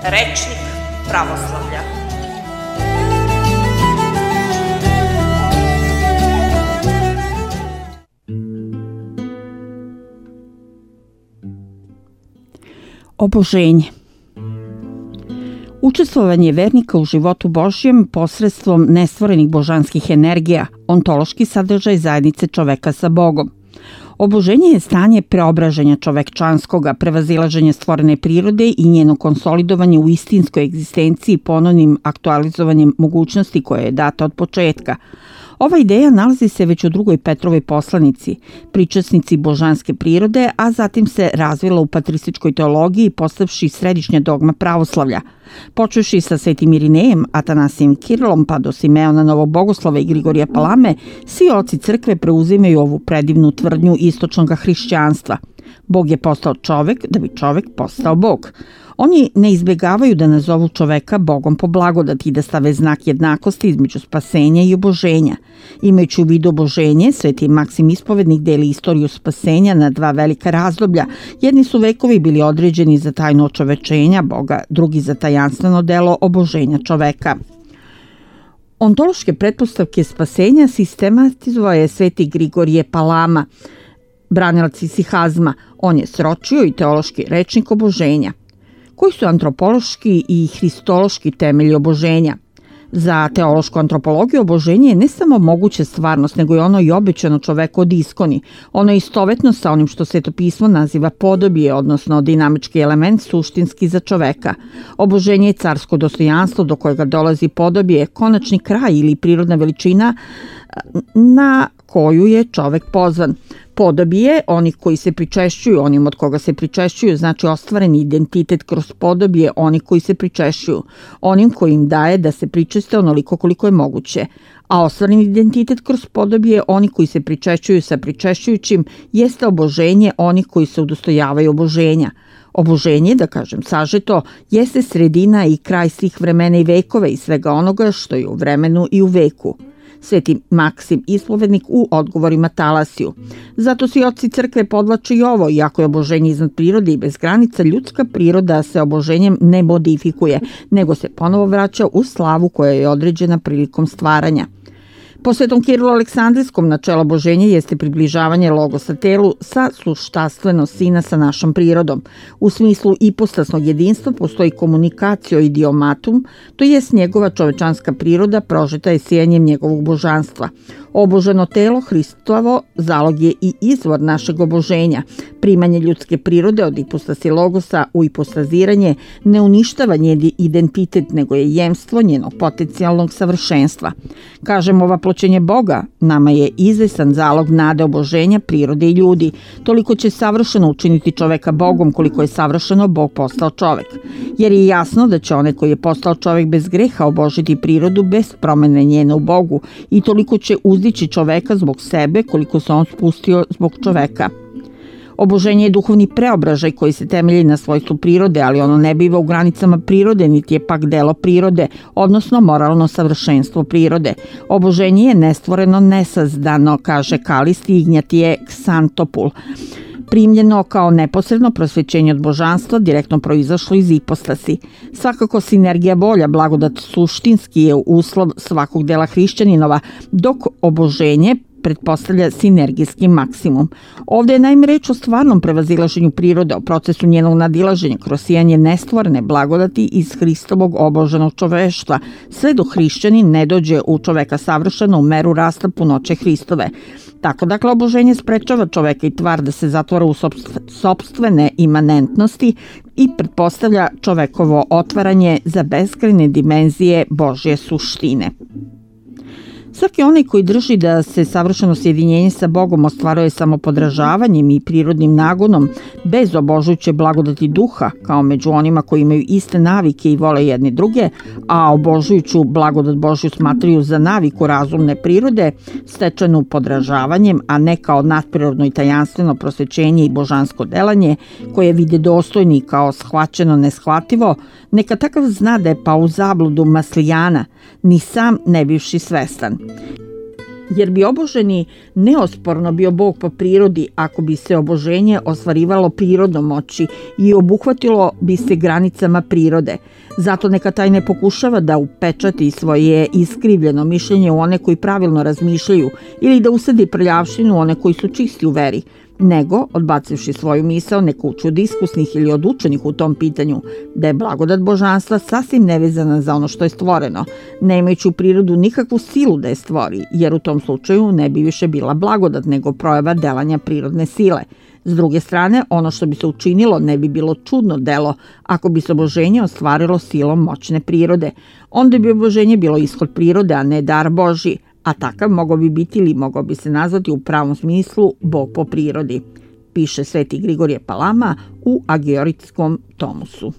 Rečnik pravoslavlja. Oboženje. Učestvovanje vernika u životu Božjem posredstvom nestvorenih božanskih energija, ontološki sadržaj zajednice čoveka sa Bogom. Oboženje je stanje preobraženja čovekčanskoga, prevazilaženja stvorene prirode i njeno konsolidovanje u istinskoj egzistenciji ponovnim aktualizovanjem mogućnosti koja je data od početka. Ova ideja nalazi se već u drugoj Petrovoj poslanici, pričasnici božanske prirode, a zatim se razvila u patrističkoj teologiji postavši središnja dogma pravoslavlja. Počevši sa Svetim Irinejem, Atanasijem Kirilom pa do Simeona Novog Bogoslova i Grigorija Palame, svi oci crkve preuzimaju ovu predivnu tvrdnju istočnog hrišćanstva. Bog je postao čovek da bi čovek postao Bog. Oni ne izbjegavaju da nazovu čoveka Bogom po blagodati i da stave znak jednakosti između spasenja i oboženja. Imajući u vidu oboženje, Sveti Maksim Ispovednik deli istoriju spasenja na dva velika razdoblja. Jedni su vekovi bili određeni za tajno očovečenja Boga, drugi za tajanstveno delo oboženja čoveka. Ontološke pretpostavke spasenja sistematizovao je Sveti Grigorije Palama, branilac isihazma. On je sročio i teološki rečnik oboženja. Koji su antropološki i hristološki temelji oboženja? Za teološku antropologiju oboženje je ne samo moguća stvarnost, nego je ono i obećano čoveku od iskoni. Ono je istovetno sa onim što Sveto pismo naziva podobije, odnosno dinamički element suštinski za čoveka. Oboženje je carsko dostojanstvo do kojega dolazi podobije, konačni kraj ili prirodna veličina na koju je čovek pozvan. Podobije, onih koji se pričešćuju, onim od koga se pričešćuju, znači ostvareni identitet kroz podobije, oni koji se pričešćuju, onim koji im daje da se pričeste onoliko koliko je moguće. A ostvareni identitet kroz podobije, oni koji se pričešćuju sa pričešćujućim, jeste oboženje onih koji se udostojavaju oboženja. Oboženje, da kažem sažeto, jeste sredina i kraj svih vremena i vekova i svega onoga što je u vremenu i u veku. Sveti Maksim Ispovednik u odgovorima Talasiju. Zato svi oci crkve podvlače i ovo, iako je oboženje iznad prirode i bez granica, ljudska priroda se oboženjem ne modifikuje, nego se ponovo vraća u slavu koja je određena prilikom stvaranja. Po Svetom Kirilu Aleksandrijskom načelo oboženja jeste približavanje logosa telu sa suštastveno sina sa našom prirodom. U smislu ipostasnog jedinstva postoji komunikacio idiomatum, to jest njegova čovečanska priroda prožeta je sijanjem njegovog božanstva. Oboženo telo Hristovo zalog je i izvor našeg oboženja. Primanje ljudske prirode od ipostasi logosa u ipostaziranje ne uništava njen identitet, nego je jemstvo njenog potencijalnog savršenstva. Kažem, ova pločenje Boga nama je izvestan zalog nade oboženja prirode i ljudi. Toliko će savršeno učiniti čoveka Bogom koliko je savršeno Bog postao čovek. Jer je jasno da će onaj koji je postao čovek bez greha obožiti prirodu bez promene njene u Bogu i toliko će uzdići čoveka zbog sebe koliko se on spustio zbog čoveka. Oboženje je duhovni preobražaj koji se temelji na svojstvu prirode, ali ono ne biva u granicama prirode, niti je pak delo prirode, odnosno moralno savršenstvo prirode. Oboženje je nestvoreno, nesazdano, kaže Kalist i Ignjatije Ksantopul. Primljeno kao neposredno prosvećenje od božanstva, direktno proizašlo iz ipostasi. Svakako sinergija bolja, blagodat suštinski je uslov svakog dela hrišćaninova, dok oboženje pretpostavlja sinergijski maksimum. Ovde je naime reč o stvarnom prevazilaženju prirode, o procesu njenog nadilaženja kroz sijanje nestvorene blagodati iz Hristovog oboženog čoveštva, sve dok hrišćanin ne dođe u čoveka savršeno u meru rasta punoće Hristove. Tako dakle oboženje sprečava čoveka i tvar da se zatvara u sopstvene imanentnosti i pretpostavlja čovekovo otvaranje za beskrajne dimenzije Božje suštine. Svaki onaj koji drži da se savršeno sjedinjenje sa Bogom ostvaruje samo podražavanjem i prirodnim nagonom, bez obožujuće blagodati duha, kao među onima koji imaju iste navike i vole jedni druge, a obožujuću blagodat Božju smatraju za naviku razumne prirode, stečenu podražavanjem, a ne kao nadprirodno i tajanstveno prosvećenje i božansko delanje, koje vide dostojni kao shvaćeno neshvativo, neka takav zna da je pao u zabludu Maslijana, ni sam ne bivši svestan. jer bi oboženi neosporno bio Bog po prirodi ako bi se oboženje ostvarivalo prirodnom moći i obuhvatilo bi se granicama prirode. Zato neka taj ne pokušava da upečati svoje iskrivljeno mišljenje u one koji pravilno razmišljaju ili da usadi prljavštinu u one koji su čisti u veri, nego, odbacivši svoju misao, neka uči od iskusnih ili od učenih u tom pitanju, da je blagodat božanstva sasvim nevezana za ono što je stvoreno, ne imajući u prirodu nikakvu silu da je stvori, jer u tom slučaju ne bi više bila blagodat nego projava delanja prirodne sile. S druge strane, ono što bi se učinilo ne bi bilo čudno delo ako bi se oboženje ostvarilo silom moćne prirode. Onda bi oboženje bilo ishod prirode, a ne dar Božji, a takav mogao bi biti ili mogao bi se nazvati u pravom smislu Bog po prirodi, piše Sveti Grigorije Palama u Agioritskom tomusu.